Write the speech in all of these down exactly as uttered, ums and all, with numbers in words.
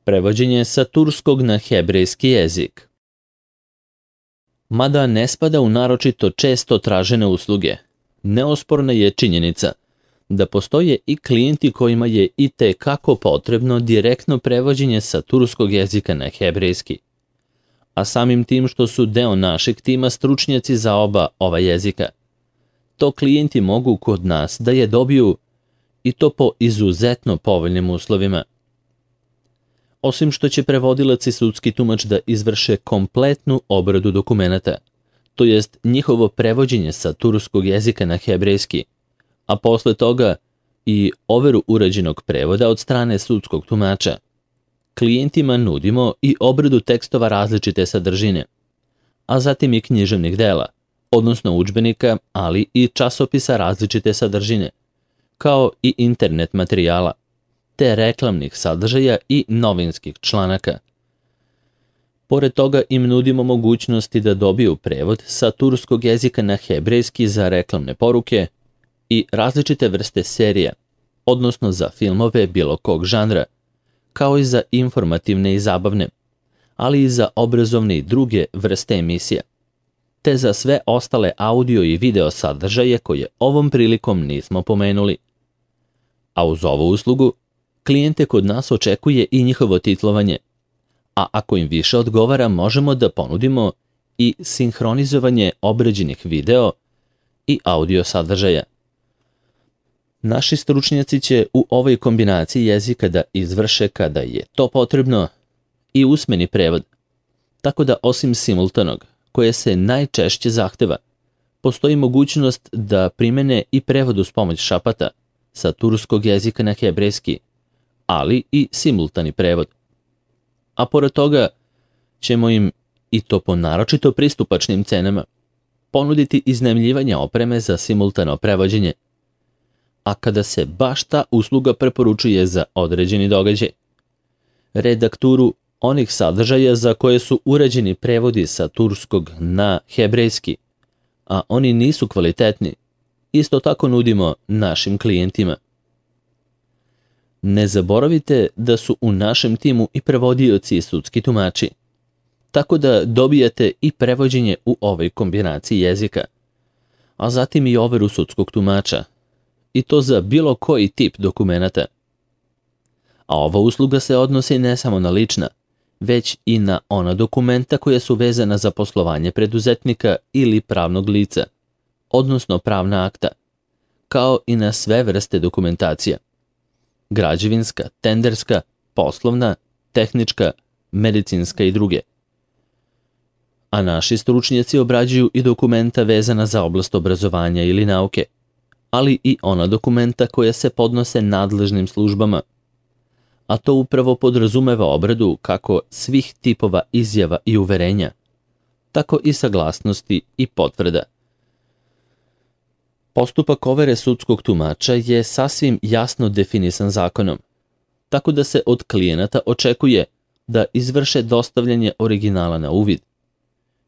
Prevođenje sa turskog na hebrejski jezik. Mada ne spada u naročito često tražene usluge, neosporna je činjenica da postoje i klijenti kojima je i te kako potrebno direktno prevođenje sa turskog jezika na hebrejski, a samim tim što su deo našeg tima stručnjaci za oba ova jezika. To klijenti mogu kod nas da je dobiju i to po izuzetno povoljnim uslovima. Osim što će prevodilac i sudski tumač da izvrše kompletnu obradu dokumenata, to jest njihovo prevođenje sa turskog jezika na hebrejski, a posle toga i overu urađenog prevoda od strane sudskog tumača, klijentima nudimo i obradu tekstova različite sadržine, a zatim i književnih dela, odnosno udžbenika, ali i časopisa različite sadržine, kao i internet materijala, te reklamnih sadržaja i novinskih članaka. Pored toga im nudimo mogućnosti da dobiju prevod sa turskog jezika na hebrejski za reklamne poruke i različite vrste serija, odnosno za filmove bilo kog žanra, kao i za informativne i zabavne, ali i za obrazovne i druge vrste emisija, te za sve ostale audio i video sadržaje koje ovom prilikom nismo pomenuli. A uz ovu uslugu, klijente kod nas očekuje i njihovo titlovanje, a ako im više odgovara, možemo da ponudimo i sinhronizovanje obrađenih video i audio sadržaja. Naši stručnjaci će u ovoj kombinaciji jezika da izvrše, kada je to potrebno, i usmeni prevod, tako da osim simultanog, koje se najčešće zahteva, postoji mogućnost da primene i prevod uz pomoć šapata sa turskog jezika na hebrejski, ali i simultani prevod. A pored toga ćemo im, i to po naročito pristupačnim cenama, ponuditi iznajmljivanje opreme za simultano prevođenje, a kada se baš ta usluga preporučuje za određeni događaj, redakturu onih sadržaja za koje su urađeni prevodi sa turskog na hebrejski, a oni nisu kvalitetni, isto tako nudimo našim klijentima. Ne zaboravite da su u našem timu i prevodioci i sudski tumači, tako da dobijate i prevođenje u ovoj kombinaciji jezika, a zatim i overu sudskog tumača, i to za bilo koji tip dokumenata. A ova usluga se odnosi ne samo na lična, već i na ona dokumenta koja su vezana za poslovanje preduzetnika ili pravnog lica, odnosno pravna akta, kao i na sve vrste dokumentacija: građevinska, tenderska, poslovna, tehnička, medicinska i druge. A naši stručnjaci obrađuju i dokumenta vezana za oblast obrazovanja ili nauke, ali i ona dokumenta koja se podnose nadležnim službama, a to upravo podrazumeva obradu kako svih tipova izjava i uverenja, tako i saglasnosti i potvrda. Postupak overe sudskog tumača je sasvim jasno definisan zakonom, tako da se od klijenata očekuje da izvrše dostavljanje originala na uvid,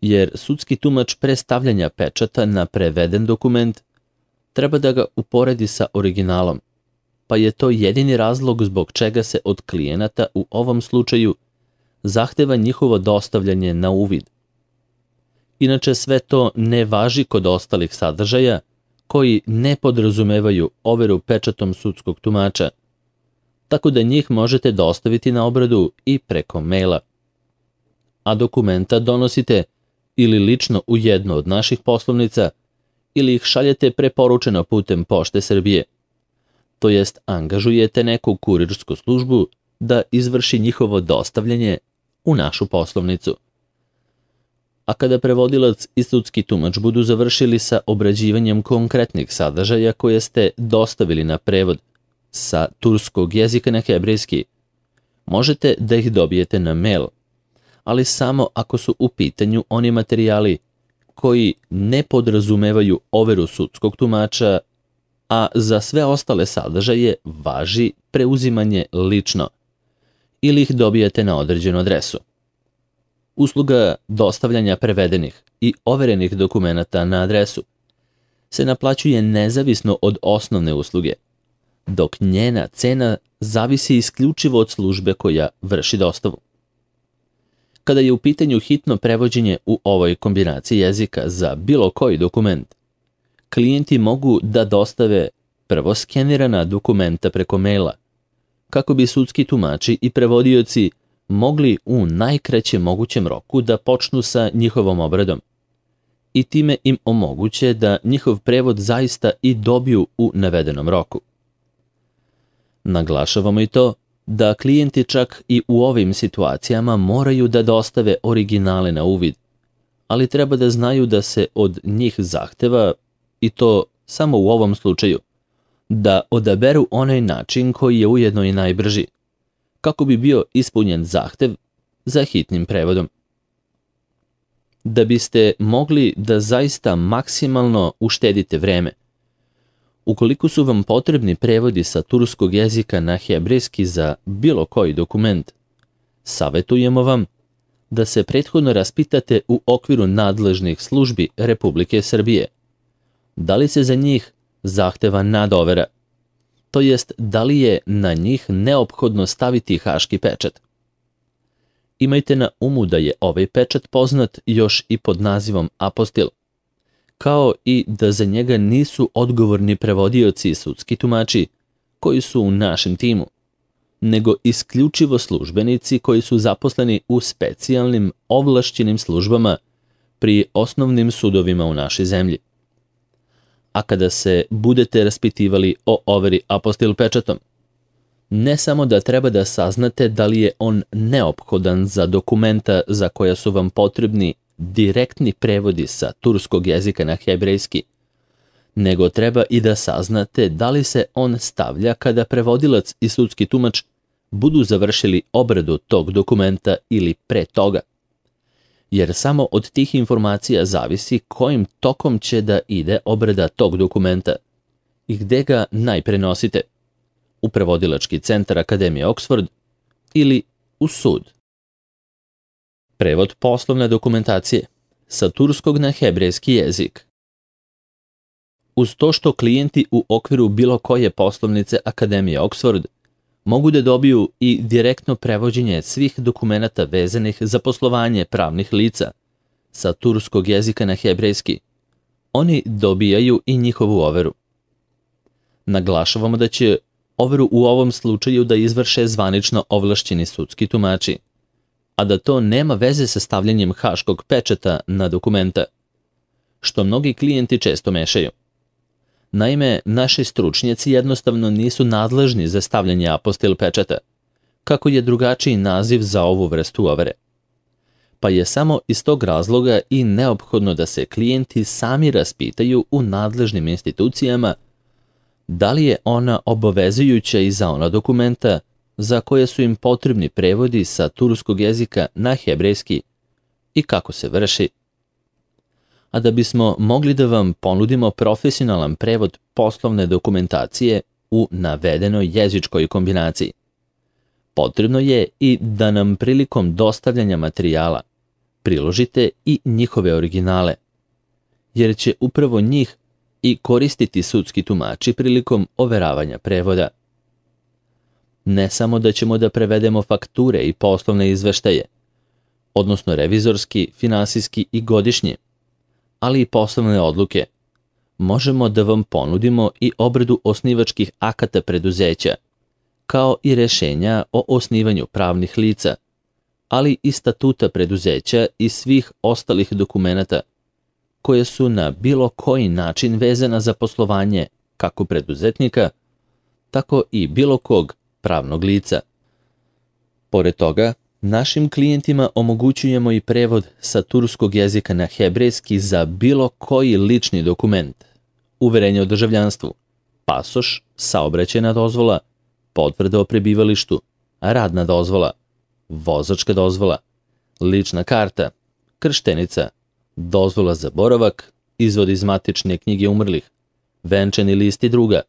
jer sudski tumač pre stavljanja pečata na preveden dokument treba da ga uporedi sa originalom, pa je to jedini razlog zbog čega se od klijenata u ovom slučaju zahteva njihovo dostavljanje na uvid. Inače, sve to ne važi kod ostalih sadržaja koji ne podrazumevaju overu pečatom sudskog tumača, tako da njih možete dostaviti na obradu i preko maila. A dokumenta donosite ili lično u jednu od naših poslovnica ili ih šaljete preporučeno putem Pošte Srbije, to jest angažujete neku kurirsku službu da izvrši njihovo dostavljanje u našu poslovnicu. A kada prevodilac i sudski tumač budu završili sa obrađivanjem konkretnih sadržaja koje ste dostavili na prevod sa turskog jezika na hebrejski, možete da ih dobijete na mail, ali samo ako su u pitanju oni materijali koji ne podrazumevaju overu sudskog tumača, a za sve ostale sadržaje važi preuzimanje lično, ili ih dobijete na određenu adresu. Usluga dostavljanja prevedenih i overenih dokumenata na adresu se naplaćuje nezavisno od osnovne usluge, dok njena cena zavisi isključivo od službe koja vrši dostavu. Kada je u pitanju hitno prevođenje u ovoj kombinaciji jezika za bilo koji dokument, klijenti mogu da dostave prvo skenirana dokumenta preko maila, kako bi sudski tumači i prevodioci mogli u najkraćem mogućem roku da počnu sa njihovom obradom i time im omoguće da njihov prevod zaista i dobiju u navedenom roku. Naglašavamo i to da klijenti čak i u ovim situacijama moraju da dostave originale na uvid, ali treba da znaju da se od njih zahteva, i to samo u ovom slučaju, da odaberu onaj način koji je ujedno i najbrži, kako bi bio ispunjen zahtev za hitnim prevodom. Da biste mogli da zaista maksimalno uštedite vreme, ukoliko su vam potrebni prevodi sa turskog jezika na hebrejski za bilo koji dokument, savetujemo vam da se prethodno raspitate u okviru nadležnih službi Republike Srbije. Da li se za njih zahteva nadovera, to jest da li je na njih neophodno staviti haški pečat. Imajte na umu da je ovaj pečat poznat još i pod nazivom apostil, kao i da za njega nisu odgovorni prevodioci i sudski tumači koji su u našem timu, nego isključivo službenici koji su zaposleni u specijalnim ovlašćenim službama pri osnovnim sudovima u našoj zemlji. A kada se budete raspitivali o overi apostil pečatom, ne samo da treba da saznate da li je on neophodan za dokumenta za koja su vam potrebni direktni prevodi sa turskog jezika na hebrejski, nego treba i da saznate da li se on stavlja kada prevodilac i sudski tumač budu završili obradu tog dokumenta ili pre toga. Jer samo od tih informacija zavisi kojim tokom će da ide obrada tog dokumenta i gde ga najpre nosite, u prevodilački centar Akademije Oxford ili u sud. Prevod poslovne dokumentacije sa turskog na hebrejski jezik. Uz to što klijenti u okviru bilo koje poslovnice Akademije Oxford mogu da dobiju i direktno prevođenje svih dokumenata vezanih za poslovanje pravnih lica sa turskog jezika na hebrejski, oni dobijaju i njihovu overu. Naglašavamo da će overu u ovom slučaju da izvrše zvanično ovlašćeni sudski tumači, a da to nema veze sa stavljanjem haškog pečata na dokumenta, što mnogi klijenti često mešaju. Naime, naši stručnjaci jednostavno nisu nadležni za stavljanje apostil pečata, kako je drugačiji naziv za ovu vrstu overe. Pa je samo iz tog razloga i neophodno da se klijenti sami raspitaju u nadležnim institucijama da li je ona obavezujuća i za ona dokumenta za koje su im potrebni prevodi sa turskog jezika na hebrejski i kako se vrši. A da bismo mogli da vam ponudimo profesionalan prevod poslovne dokumentacije u navedenoj jezičkoj kombinaciji, potrebno je i da nam prilikom dostavljanja materijala priložite i njihove originale, jer će upravo njih i koristiti sudski tumači prilikom overavanja prevoda. Ne samo da ćemo da prevedemo fakture i poslovne izveštaje, odnosno revizorski, finansijski i godišnji, ali i poslovne odluke, možemo da vam ponudimo i obradu osnivačkih akata preduzeća, kao i rešenja o osnivanju pravnih lica, ali i statuta preduzeća i svih ostalih dokumenata koje su na bilo koji način vezana za poslovanje kako preduzetnika, tako i bilo kog pravnog lica. Pored toga, našim klijentima omogućujemo i prevod sa turskog jezika na hebrejski za bilo koji lični dokument, uverenje o državljanstvu, pasoš, saobraćajna dozvola, potvrda o prebivalištu, radna dozvola, vozačka dozvola, lična karta, krštenica, dozvola za boravak, izvod iz matične knjige umrlih, venčani list i druga,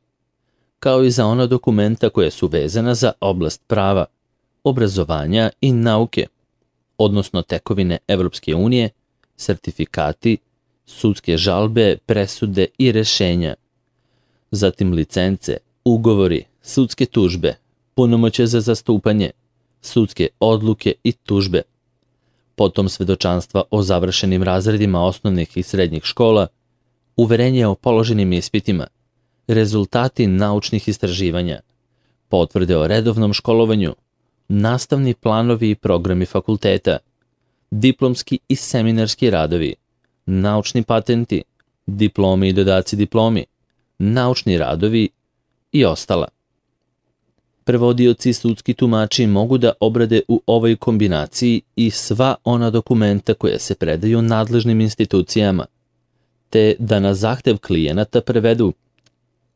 kao i za ona dokumenta koja su vezana za oblast prava, obrazovanja i nauke, odnosno tekovine Evropske unije, sertifikati, sudske žalbe, presude i rešenja, zatim licence, ugovori, sudske tužbe, punomoćje za zastupanje, sudske odluke i tužbe, potom svedočanstva o završenim razredima osnovnih i srednjih škola, uverenje o položenim ispitima, rezultati naučnih istraživanja, potvrde o redovnom školovanju, nastavni planovi i programi fakulteta, diplomski i seminarski radovi, naučni patenti, diplomi i dodaci diplomi, naučni radovi i ostala. Prevodioci i sudski tumači mogu da obrade u ovoj kombinaciji i sva ona dokumenta koja se predaju nadležnim institucijama, te da na zahtev klijenata prevedu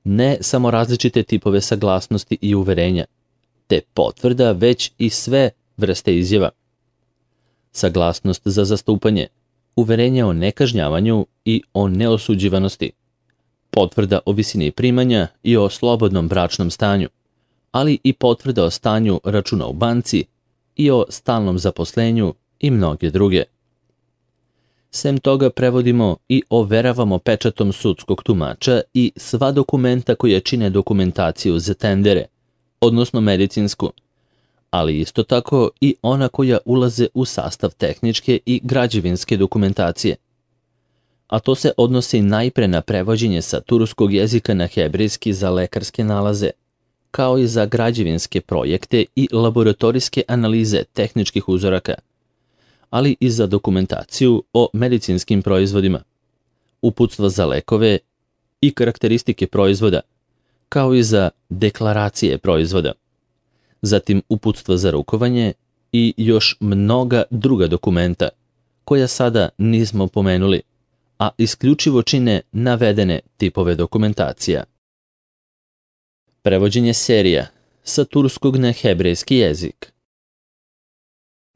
ne samo različite tipove saglasnosti i uverenja, te potvrda već i sve vrste izjava. Saglasnost za zastupanje, uverenje o nekažnjavanju i o neosuđivanosti, potvrda o visini primanja i o slobodnom bračnom stanju, ali i potvrda o stanju računa u banci i o stalnom zaposlenju i mnoge druge. Sem toga prevodimo i overavamo pečatom sudskog tumača i sva dokumenta koja čine dokumentaciju za tendere, odnosno medicinsku, ali isto tako i ona koja ulaze u sastav tehničke i građevinske dokumentacije. A to se odnosi najpre na prevođenje sa turskog jezika na hebrejski za lekarske nalaze, kao i za građevinske projekte i laboratorijske analize tehničkih uzoraka, ali i za dokumentaciju o medicinskim proizvodima, uputstva za lekove i karakteristike proizvoda, kao i za deklaracije proizvoda, zatim uputstva za rukovanje i još mnoga druga dokumenta, koja sada nismo pomenuli, a isključivo čine navedene tipove dokumentacija. Prevođenje serija sa turskog na hebrejski jezik.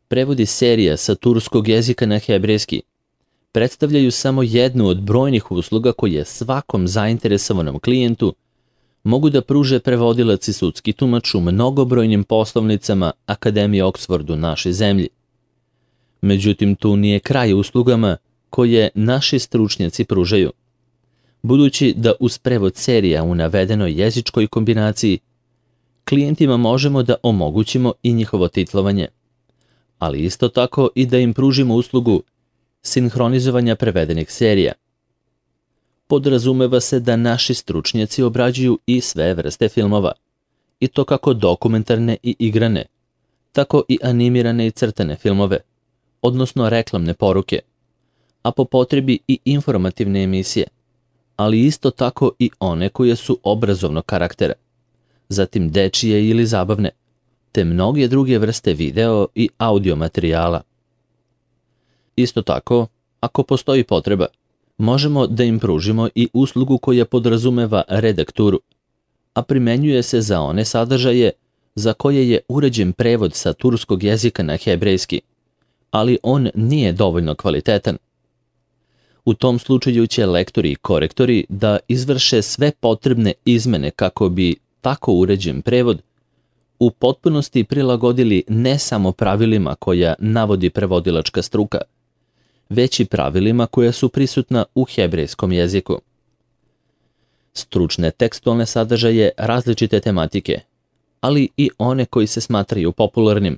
Prevodi serija sa turskog jezika na hebrejski predstavljaju samo jednu od brojnih usluga koje svakom zainteresovanom klijentu mogu da pruže prevodilac i sudski tumač u mnogobrojnim poslovnicama Akademije Oksford u našoj zemlji. Međutim, tu nije kraj uslugama koje naši stručnjaci pružaju, budući da uz prevod serija u navedenoj jezičkoj kombinaciji klijentima možemo da omogućimo i njihovo titlovanje, ali isto tako i da im pružimo uslugu sinhronizovanja prevedenih serija. Podrazumeva se da naši stručnjaci obrađuju i sve vrste filmova, i to kako dokumentarne i igrane, tako i animirane i crtane filmove, odnosno reklamne poruke, a po potrebi i informativne emisije, ali isto tako i one koje su obrazovnog karaktera, zatim dečije ili zabavne, te mnoge druge vrste video i audio materijala. Isto tako, ako postoji potreba, možemo da im pružimo i uslugu koja podrazumeva redakturu, a primenjuje se za one sadržaje za koje je uređen prevod sa turskog jezika na hebrejski, ali on nije dovoljno kvalitetan. U tom slučaju će lektori i korektori da izvrše sve potrebne izmene kako bi tako uređen prevod u potpunosti prilagodili ne samo pravilima koja navodi prevodilačka struka, već i pravilima koja su prisutna u hebrejskom jeziku. Stručne tekstualne sadržaje različite tematike, ali i one koji se smatraju popularnim.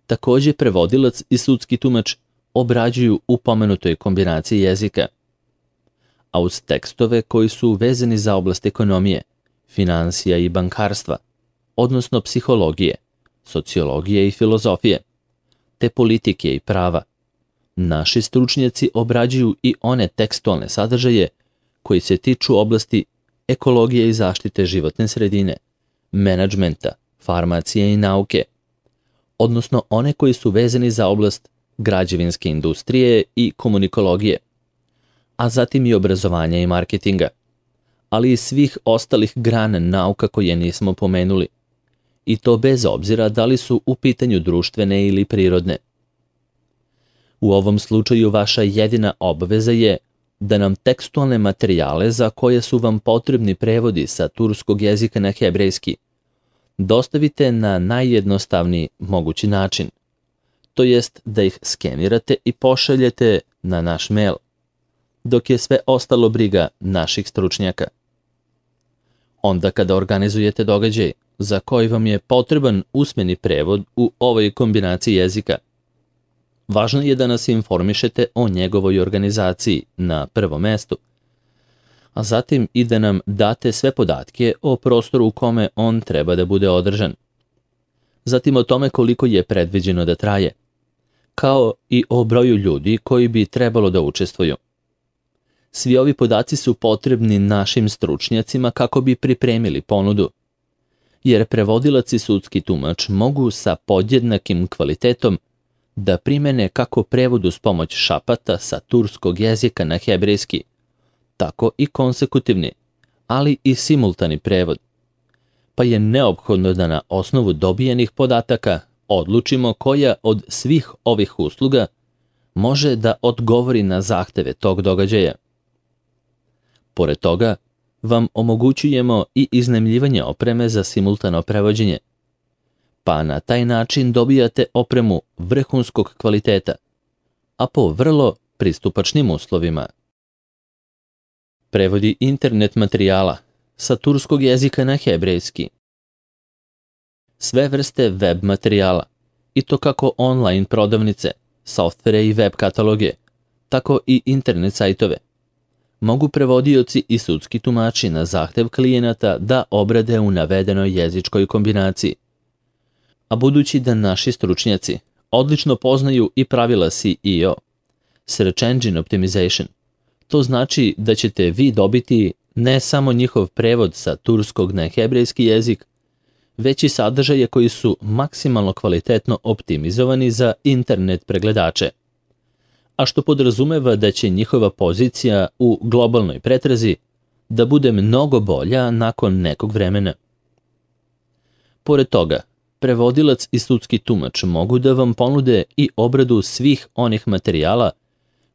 Takođe prevodilac i sudski tumač obrađuju u pomenutoj kombinaciji jezika, a uz tekstove koji su vezani za oblast ekonomije, finansija i bankarstva, odnosno psihologije, sociologije i filozofije, te politike i prava. Naši stručnjaci obrađuju i one tekstualne sadržaje koji se tiču oblasti ekologije i zaštite životne sredine, menadžmenta, farmacije i nauke, odnosno one koji su vezani za oblast građevinske industrije i komunikologije, a zatim i obrazovanja i marketinga, ali i svih ostalih grana nauka koje nismo pomenuli, i to bez obzira da li su u pitanju društvene ili prirodne. U ovom slučaju vaša jedina obaveza je da nam tekstualne materijale za koje su vam potrebni prevodi sa turskog jezika na hebrejski dostavite na najjednostavniji mogući način, to jest da ih skenirate i pošaljete na naš mail, dok je sve ostalo briga naših stručnjaka. Onda kada organizujete događaj za koji vam je potreban usmeni prevod u ovoj kombinaciji jezika, važno je da nas informišete o njegovoj organizaciji na prvom mestu, a zatim i da nam date sve podatke o prostoru u kome on treba da bude održan. Zatim o tome koliko je predviđeno da traje, kao i o broju ljudi koji bi trebalo da učestvuju. Svi ovi podaci su potrebni našim stručnjacima kako bi pripremili ponudu, jer prevodilac i sudski tumač mogu sa podjednakim kvalitetom da primene kako prevod uz pomoć šapata sa turskog jezika na hebrejski, tako i konsekutivni, ali i simultani prevod. Pa je neophodno da na osnovu dobijenih podataka odlučimo koja od svih ovih usluga može da odgovori na zahteve tog događaja. Pored toga, vam omogućujemo i iznajmljivanje opreme za simultano prevođenje, pa na taj način dobijate opremu vrhunskog kvaliteta, a po vrlo pristupačnim uslovima. Prevodi internet materijala sa turskog jezika na hebrejski. Sve vrste web materijala, i to kako online prodavnice, softvere i web kataloge, tako i internet sajtove, mogu prevodioci i sudski tumači na zahtev klijenata da obrade u navedenoj jezičkoj kombinaciji. A budući da naši stručnjaci odlično poznaju i pravila S E O, Search Engine Optimization, to znači da ćete vi dobiti ne samo njihov prevod sa turskog na hebrejski jezik, već i sadržaje koji su maksimalno kvalitetno optimizovani za internet pregledače, a što podrazumeva da će njihova pozicija u globalnoj pretrazi da bude mnogo bolja nakon nekog vremena. Pored toga, prevodilac i sudski tumač mogu da vam ponude i obradu svih onih materijala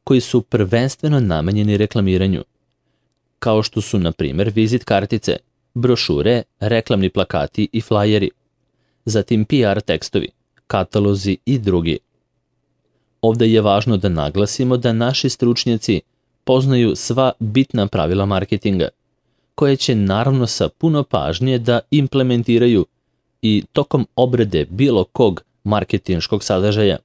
koji su prvenstveno namenjeni reklamiranju, kao što su, na primjer, vizit kartice, brošure, reklamni plakati i flajeri, zatim P R tekstovi, katalozi i drugi. Ovde je važno da naglasimo da naši stručnjaci poznaju sva bitna pravila marketinga, koje će naravno sa puno pažnje da implementiraju i tokom obrade bilo kog marketinškog sadržaja,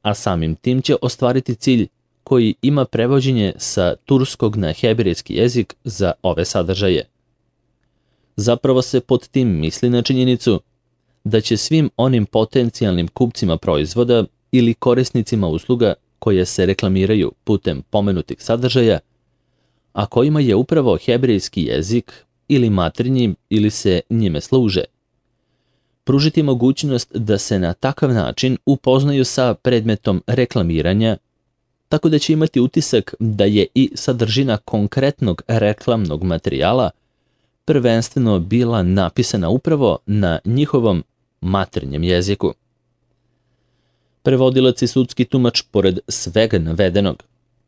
a samim tim će ostvariti cilj koji ima prevođenje sa turskog na hebrejski jezik za ove sadržaje. Zapravo se pod tim misli na činjenicu da će svim onim potencijalnim kupcima proizvoda ili korisnicima usluga koje se reklamiraju putem pomenutih sadržaja, a kojima je upravo hebrejski jezik ili maternji ili se njime služe, pružiti mogućnost da se na takav način upoznaju sa predmetom reklamiranja, tako da će imati utisak da je i sadržina konkretnog reklamnog materijala prvenstveno bila napisana upravo na njihovom maternjem jeziku. Prevodilac i sudski tumač, pored svega navedenog,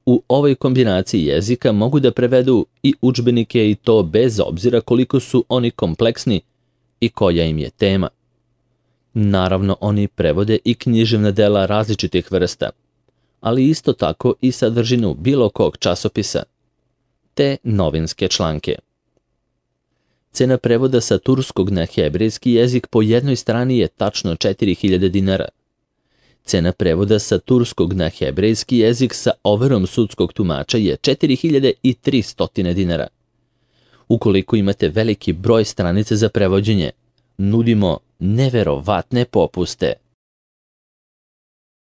u ovoj kombinaciji jezika mogu da prevedu i udžbenike, i to bez obzira koliko su oni kompleksni i koja im je tema. Naravno, oni prevode i književna dela različitih vrsta, ali isto tako i sadržinu bilo kog časopisa, te novinske članke. Cena prevoda sa turskog na hebrejski jezik po jednoj strani je tačno četiri hiljade dinara. Cena prevoda sa turskog na hebrejski jezik sa overom sudskog tumača je četiri hiljade tristo dinara. Ukoliko imate veliki broj stranica za prevođenje, nudimo neverovatne popuste.